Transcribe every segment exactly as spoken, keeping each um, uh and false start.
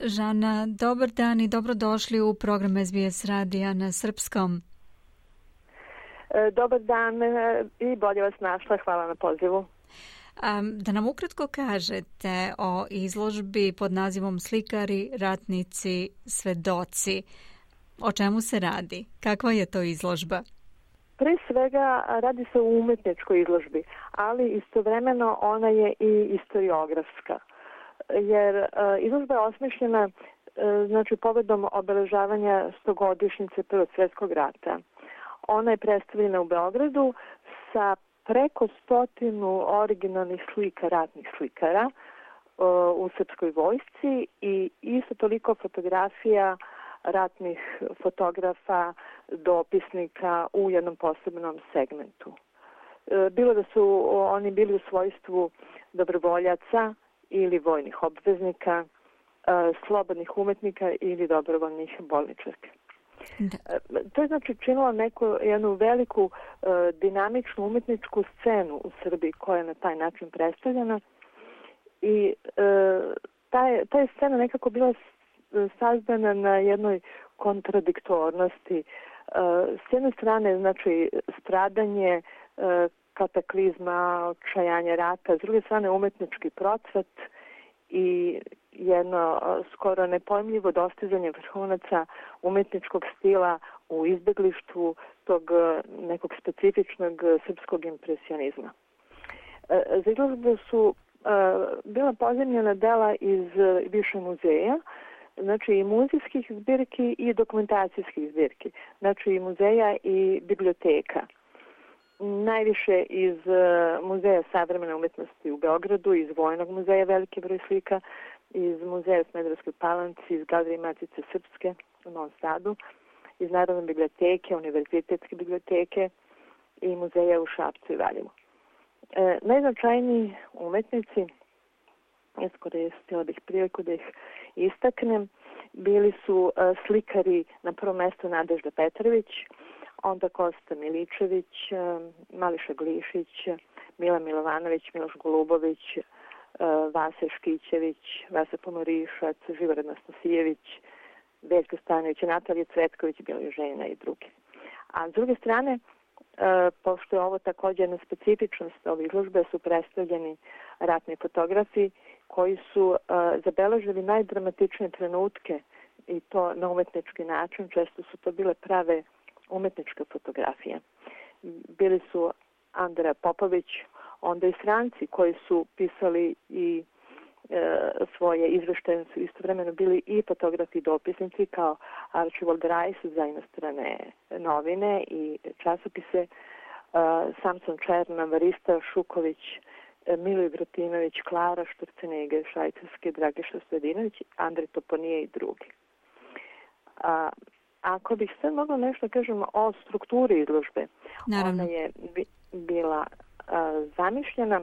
Žana, dobar dan i dobrodošli u program S B S radija na srpskom. Dobar dan i bolje vas našla. Hvala na pozivu. Da nam ukratko kažete o izložbi pod nazivom Slikari, ratnici, svedoci. O čemu se radi? Kakva je to izložba? Pre svega radi se o umetničkoj izložbi, ali istovremeno ona je i istoriografska. Jer uh, izložba je osmišljena uh, znači povodom obeležavanja stogodišnjice Prvog svjetskog rata. Ona je predstavljena u Beogradu sa preko stotinu originalnih slika ratnih slikara uh, u srpskoj vojsci i isto toliko fotografija ratnih fotografa, dopisnika u jednom posebnom segmentu. Uh, bilo da su oni bili u svojstvu dobrovoljaca ili vojnih obveznika, uh, slobodnih umetnika ili dobrovoljnih bolničarke. Da. To je znači činilo neku jednu veliku uh, dinamičnu umetničku scenu u Srbiji koja je na taj način predstavljena i uh, ta, je, ta je scena nekako bila sazdana na jednoj kontradiktornosti. Uh, s jedne strane znači stradanje, uh, kataklizma, očajanje rata, s druge strane umetnički procvat i jedno skoro nepojmljivo dostizanje vrhunaca umetničkog stila u izbeglištvu tog nekog specifičnog srpskog impresionizma. Za izložbu su bila pozemljena dela iz više muzeja, znači i muzejskih zbirki i dokumentacijskih zbirki, znači i muzeja i biblioteka. Najviše iz Muzeja savremene umetnosti u Beogradu, iz Vojnog muzeja veliki broj slika, iz Muzeja u Smederevskoj Palanci, iz Galerije Matice Srpske u Novom Sadu, iz Narodne biblioteke, Univerzitetske biblioteke i muzeja u Šapcu i Valjevu. E, najznačajniji umetnici, iskoristila bih priliku da ih istaknem, bili su e, slikari na prvom mjestu Nadežda Petrović, onda Kosta Miličević, Mališa Glišić, Mila Milovanović, Miloš Golubović, Vasa Škićević, Vasa Pomorišac, Živorad Nastasijević, Veljko Stanović, Natalija Cvetković, Bilo žena i drugi. A s druge strane, pošto je ovo također jedna specifičnost ove izložbe, su predstavljeni ratni fotografi koji su zabeležili najdramatičnije trenutke i to na umetnički način. Često su to bile prave umetničke fotografije. Bili su Andra Popović, onda i stranci koji su pisali i e, svoje izveštaje, su istovremeno bili i fotografi i dopisnici kao Archibald Rice za inostrane novine i časopise, e, Samson Černa, Varista Šuković, Miloj Vratinović, Klara Šturcenege, Švajcarske, Dragiša Stojadinović, Andrej Toponije i drugi. A, Ako bih sve mogla nešto kažem o strukturi izložbe, Naravno. Ona je bi, bila uh, zamišljena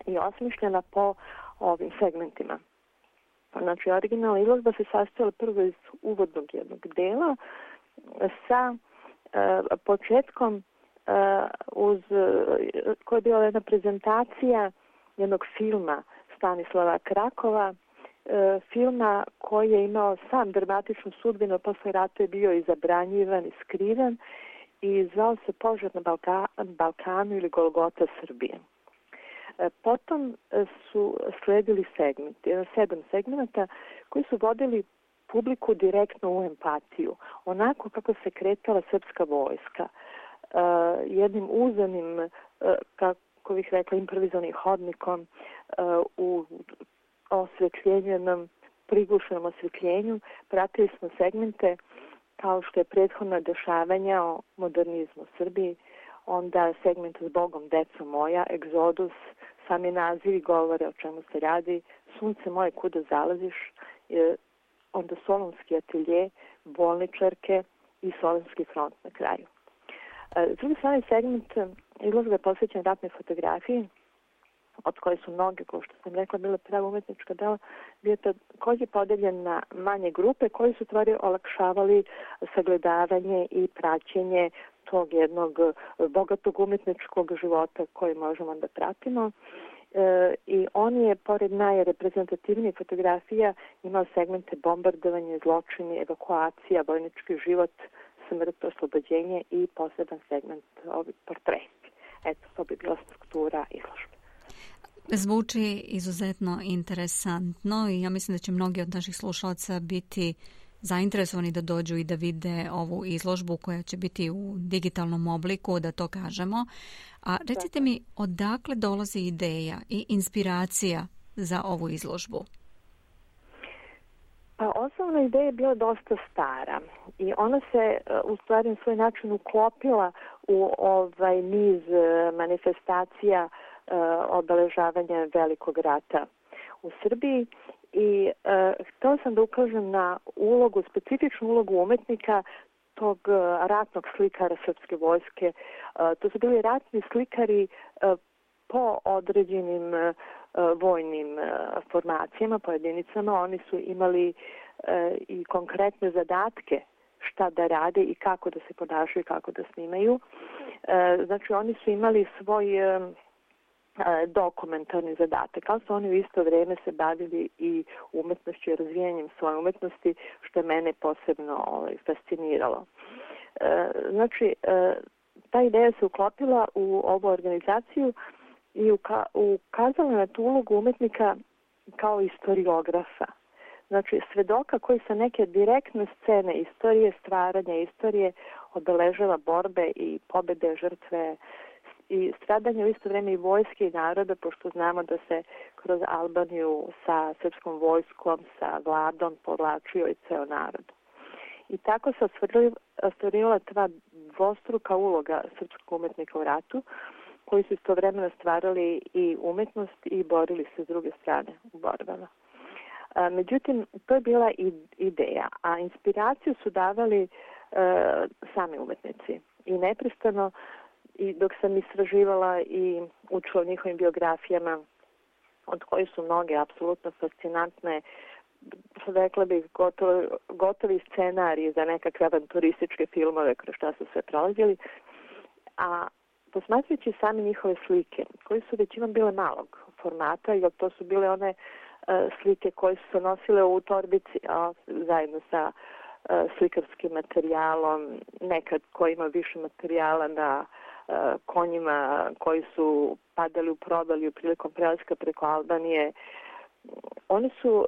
i osmišljena po ovim segmentima. Znači, originalna izložba se sastojala prvo iz uvodnog jednog dela sa uh, početkom uh, uz uh, koja je bila jedna prezentacija jednog filma Stanislava Krakova, filma koji je imao sam dramatičnu sudbinu, posle rata je bio i zabranjivan i skriven i zvao se Požar na Balka, Balkanu ili Golgota Srbije. Potom su sledili segmenti, sedam segmenta koji su vodili publiku direktno u empatiju, onako kako se kretala srpska vojska, jednim uzanim, kako bih rekla, improvizovanim hodnikom u osvetljenjenom, prigušenom osvetljenju. Pratili smo segmente kao što je prethodna dešavanja o modernizmu u Srbiji, onda segment S Bogom, deco moja, Egzodus, sami nazivi govore o čemu se radi, Sunce moje, kuda zalaziš, onda Solunski atelje, bolničarke i Solunski front na kraju. S druge strane, segment izložbe je posvećen ratnoj fotografiji, od koje su mnoge, kao što sam rekla, bile prava umetnička dela, bio također podeljen na manje grupe koji su stvari olakšavali sagledavanje i praćenje tog jednog bogatog umetničkog života koji možemo da pratimo. i on je, pored najreprezentativnijih fotografija, imao segmente bombardovanja, zločini, evakuacija, vojnički život, smrt, oslobođenje i poseban segment ovi portreti. Eto, to bi bila struktura izložbe. Zvuči izuzetno interesantno i ja mislim da će mnogi od naših slušalaca biti zainteresovani da dođu i da vide ovu izložbu koja će biti u digitalnom obliku, da to kažemo. A recite mi, odakle dolazi ideja i inspiracija za ovu izložbu? Pa osnovna ideja je bila dosta stara i ona se u stvari na svoj način uklopila u ovaj niz manifestacija obeležavanja Velikog rata u Srbiji i uh, htjela sam da ukažem na ulogu, specifičnu ulogu umetnika tog uh, ratnog slikara srpske vojske. Uh, to su bili ratni slikari uh, po određenim uh, vojnim uh, formacijama, po jedinicama. Oni su imali uh, i konkretne zadatke šta da rade i kako da se ponašaju, kako da snimaju. Uh, znači oni su imali svoj uh, dokumentarni zadatak, ali su oni u isto vrijeme se bavili i umetnošću i razvijanjem svoje umetnosti, što je mene posebno ovaj, fasciniralo. E, znači, e, ta ideja se uklopila u ovu organizaciju i uka, ukazala na tu ulogu umetnika kao istoriografa. Znači, svedoka koji sa neke direktne scene istorije, stvaranja istorije, obeležava borbe i pobjede, žrtve i stradanje u isto vrijeme i vojske i naroda, pošto znamo da se kroz Albaniju sa srpskom vojskom, sa vladom povlačio i ceo narod. I tako se ostvarila ta dvostruka uloga srpskog umetnika u ratu, koji su istovremeno stvarali i umetnost i borili se s druge strane u borbama. Međutim, to je bila ideja, a inspiraciju su davali e, sami umetnici. I neprestano, i dok sam istraživala i učila o njihovim biografijama, od kojih su mnoge apsolutno fascinantne, rekla bih gotovo, gotovi scenariji za nekakve avanturističke filmove kroz šta su sve prolazili, a posmatrajući sami njihove slike, koje su većinom bile malog formata, jer to su bile one uh, slike koje su se nosile u torbici a, zajedno sa uh, slikarskim materijalom, nekad koji ima više materijala na uh, konjima koji su padali u provaliju prilikom prelaska preko Albanije. One su,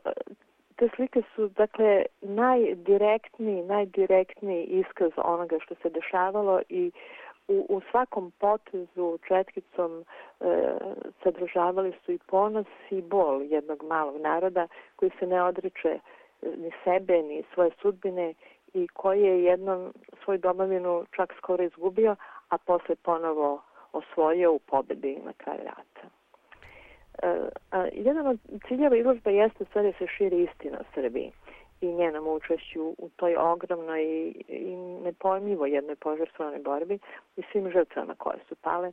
te slike su, dakle, najdirektniji, najdirektniji iskaz onoga što se dešavalo i u, u svakom potezu četkicom e, sadržavali su i ponos i bol jednog malog naroda koji se ne odriče ni sebe, ni svoje sudbine i koji je jednom svoju domovinu čak skoro izgubio, a posle ponovo osvojio u pobedi na kraju rata. Uh, a, jedan od ciljeva izložbe jeste sve da se širi istina o Srbiji i njenom učešću u toj ogromnoj i, i nepojmljivo jednoj požrtvovanoj borbi i svim žrtvama koje su pale,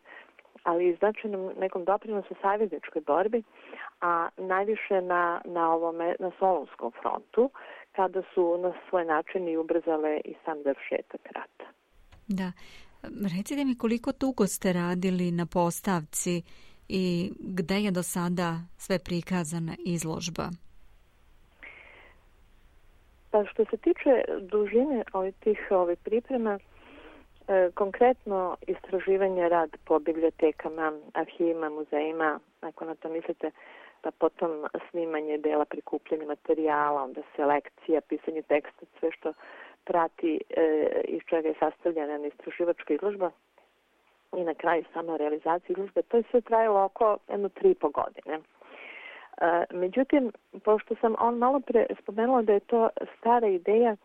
ali i značajnom nekom doprinosu savezničkoj borbi, a najviše na, na, ovome, na Solunskom frontu, kada su na svoj način i ubrzale i sam završetak rata. Da. Recite mi koliko dugo ste radili na postavci i gde je do sada sve prikazana izložba? Pa što se tiče dužine ovih tih ovih priprema, e, konkretno istraživanje rad po bibliotekama, arhivima, muzejima, ako na to mislite, pa potom snimanje dela, prikupljanje materijala, onda selekcija, pisanje teksta, sve što prati e, iz čega je sastavljena istraživačka izložba i na kraju sama realizacija izložbe, to je sve trajalo oko jedno tri i po godine. E, međutim, pošto sam on malo pre spomenula da je to stara ideja,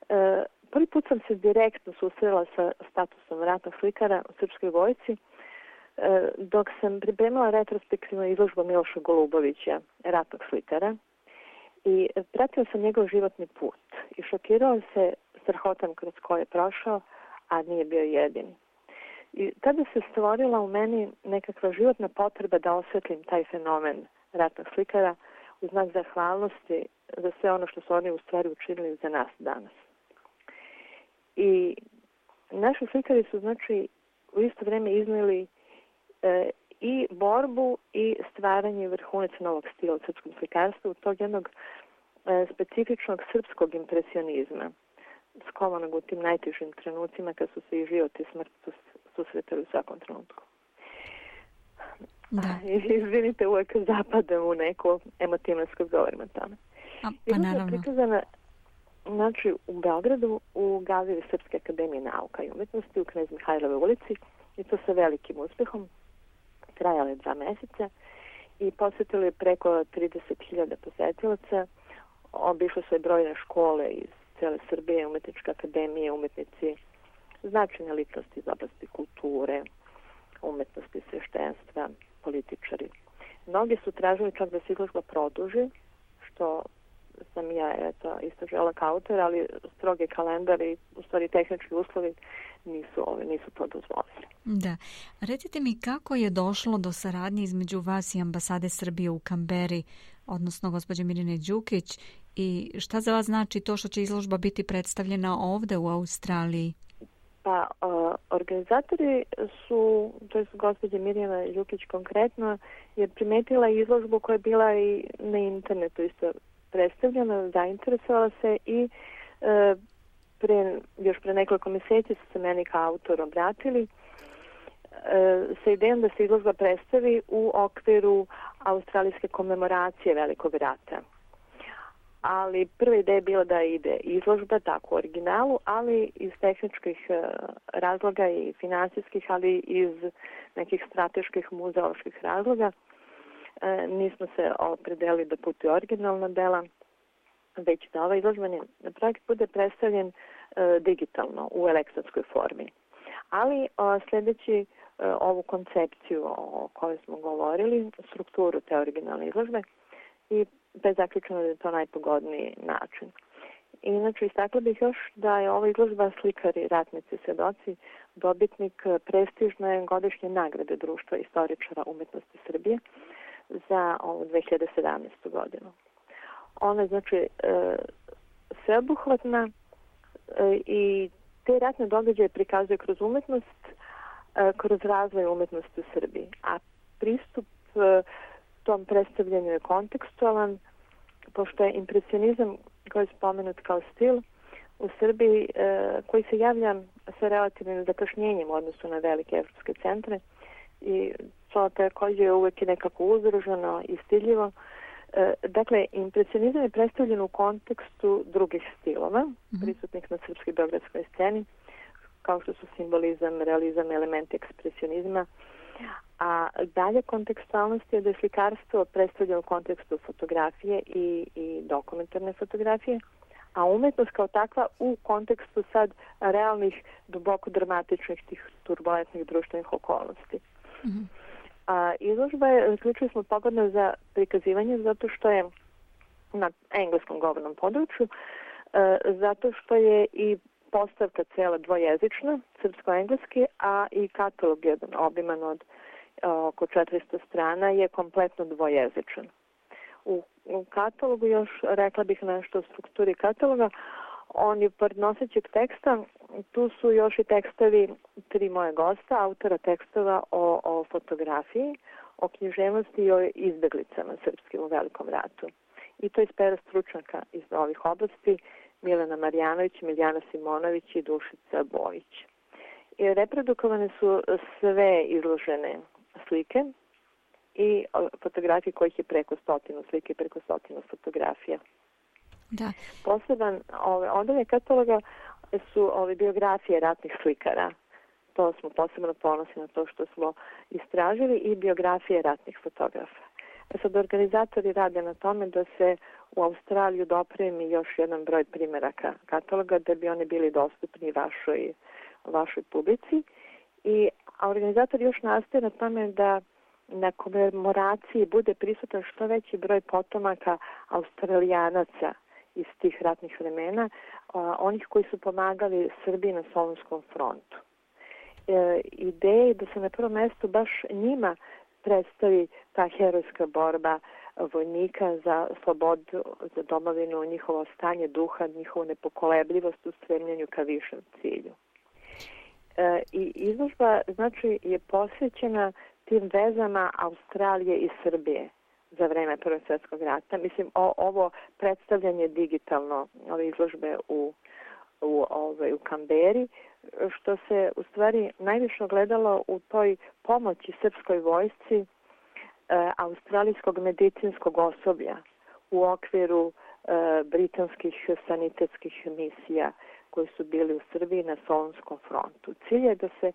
e, prvi put sam se direktno susrela sa statusom ratnog slikara u srpskoj vojsci, e, dok sam pripremila retrospektivnu izložbu Miloša Golubovića, ratnog slikara, i pratila sam njegov životni put i šokirao se strahotom kroz koje je prošao, a nije bio jedini. I tada se stvorila u meni nekakva životna potreba da osvetlim taj fenomen ratnog slikara u znak zahvalnosti za sve ono što su oni u stvari učinili za nas danas. I naši slikari su, znači, u isto vrijeme iznijeli e, i borbu i stvaranje vrhunaca novog stila u srpskom slikarstvu, tog jednog e, specifičnog srpskog impresionizma, skovanog u tim najtežim trenucima kad su se i život i smrt susretali u svakom trenutku. Da. Izvinite, uvek zapadam u neko emotivnost kad govorim o tome. A, pa naravno. Prikazana, znači, u Beogradu u galeriji Srpske akademije nauka i umetnosti u Knez Mihajlove ulici, i to sa velikim uspehom. Trajalo je dva meseca i posjetili preko trideset hiljada posetilaca. Obišle su i brojne škole iz cele Srbije, umetničke akademije, umetnici, značajne ličnosti iz oblasti kulture, umetnosti, sveštenstva, političari. Mnogi su tražili čak da se izložba produži, što sam ja eto, isto žela kao autor, ali stroge kalendar i u stvari tehnički uslovi nisu, ove, nisu to dozvolili. Da. Recite mi kako je došlo do saradnje između vas i ambasade Srbije u Kamberi, odnosno gospođe Mirjane Đukić, i šta za vas znači to što će izložba biti predstavljena ovde u Australiji? Pa, uh, organizatori su, to je gospođa Mirjana Đukić konkretno, je primetila izložbu koja je bila i na internetu isto predstavljena, zainteresovala se i uh, pre, još pre nekoliko mjeseci su se meni kao autor obratili uh, sa idejom da se izložba predstavi u okviru australijske komemoracije Velikog rata. Ali prva ideja je bila da ide izložba tako u originalu, ali iz tehničkih razloga i finansijskih, ali iz nekih strateških muzeoloških razloga nismo se opredelili da putuje originalna dela, već da ovaj izložbeni projekt bude predstavljen digitalno u elektronskoj formi. Ali sljedeći ovu koncepciju o kojoj smo govorili, strukturu te originalne izložbe, i bez zaključeno da je to najpogodniji način. Inače, istakla bih još da je ova izložba Slikari, ratnici, svedoci dobitnik prestižne godišnje nagrade Društva istoričara umetnosti Srbije za ovu dve hiljade sedamnaestu. godinu. Ona je, znači, sveobuhvatna i te ratne događaje prikazuje kroz umetnost, kroz razvoj umetnosti u Srbiji. A pristup tom predstavljanju je kontekstualan, pošto je impresionizam koji je spomenut kao stil u Srbiji, e, koji se javlja sa relativnim zakašnjenjem u odnosu na velike evropske centre i to također je uvijek nekako uzdržano i stiljivo. E, dakle, impresionizam je predstavljen u kontekstu drugih stilova, mm-hmm. prisutnih na srpskoj beogradskoj sceni, kao što su simbolizam, realizam, elementi ekspresionizma. A dalje kontekstualnost je da je slikarstvo predstavljeno u kontekstu fotografije i, i dokumentarne fotografije, a umetnost kao takva u kontekstu sad realnih, duboko dramatičnih, tih turbulentnih društvenih okolnosti. Mm-hmm. A izložba je, ključno smo pogodno za prikazivanje zato što je na engleskom govornom području, e, zato što je i postavka cela dvojezična, srpsko-engleski, a i katalog jedan obiman od oko četiristo strana je kompletno dvojezičan. U, u katalogu još rekla bih nešto o strukturi kataloga. On je pored nosećeg teksta, tu su još i tekstovi tri moje gosta, autora tekstova o, o fotografiji, o književnosti i o izbeglicama srpskim u Velikom ratu. I to iz pera stručnjaka iz ovih oblasti, Milena Marjanović, Miljana Simonović i Dušica Bojić. I reprodukovane su sve izložene slike i fotografije kojih je preko stotinu slike i preko stotinu fotografija. Da. Poseban ove, odalje kataloga su ove biografije ratnih slikara. To smo posebno ponosni na to što smo istražili i biografije ratnih fotografa. E sad, organizatori rade na tome da se u Australiju dopremi još jedan broj primjeraka kataloga da bi oni bili dostupni vašoj, vašoj publici. I a organizator još nastaje na tome da na komemoraciji bude prisutan što veći broj potomaka Australijanaca iz tih ratnih vremena, a, onih koji su pomagali Srbiji na Solunskom frontu. E, ideja je da se na prvom mjestu baš njima predstavi ta herojska borba vojnika za slobodu, za domovinu, njihovo stanje duha, njihovu nepokolebljivost u stremljenju ka višem cilju. E, I izložba, znači, je posvećena tim vezama Australije i Srbije za vreme Prvog svjetskog rata. Mislim, o, ovo predstavljanje digitalno, ove izložbe u, u, ove, u Kamberi, što se u stvari najviše gledalo u toj pomoći srpskoj vojsci e, australijskog medicinskog osoblja u okviru e, britanskih sanitetskih misija koji su bili u Srbiji na Solunskom frontu. Cilj je da se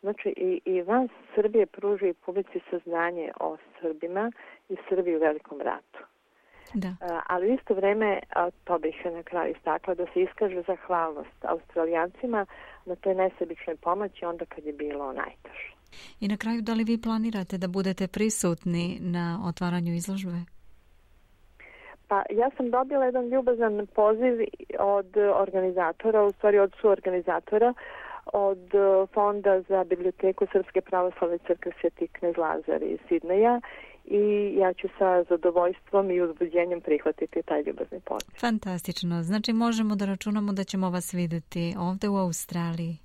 znači, i, i van Srbije pruži publici saznanje o Srbima i Srbiji u Velikom ratu. Da. A, ali u isto vreme, a, to bih na kraju istakla, da se iskaže zahvalnost Australijancima na toj nesebičnoj pomoći onda kad je bilo najteže. I na kraju, da li vi planirate da budete prisutni na otvaranju izložbe? Pa ja sam dobila jedan ljubazan poziv od organizatora, u stvari od suorganizatora, od Fonda za biblioteku Srpske pravoslavne crkve Sveti Knez Lazar iz Sidneja i ja ću sa zadovoljstvom i uzbuđenjem prihvatiti taj ljubazni poziv. Fantastično. Znači možemo da računamo da ćemo vas vidjeti ovdje u Australiji.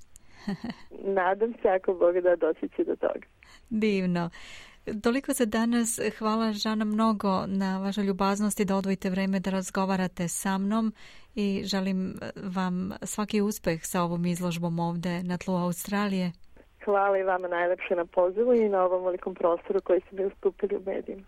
Nadam se, ako Bog da, doći će do toga. Divno. Toliko za danas. Hvala, Žana, mnogo na vašoj ljubaznosti da odvojite vreme da razgovarate sa mnom i želim vam svaki uspeh sa ovom izložbom ovdje na tlu Australije. Hvala i vama najlepše na pozivu i na ovom velikom prostoru koji ste mi ustupili u medijima.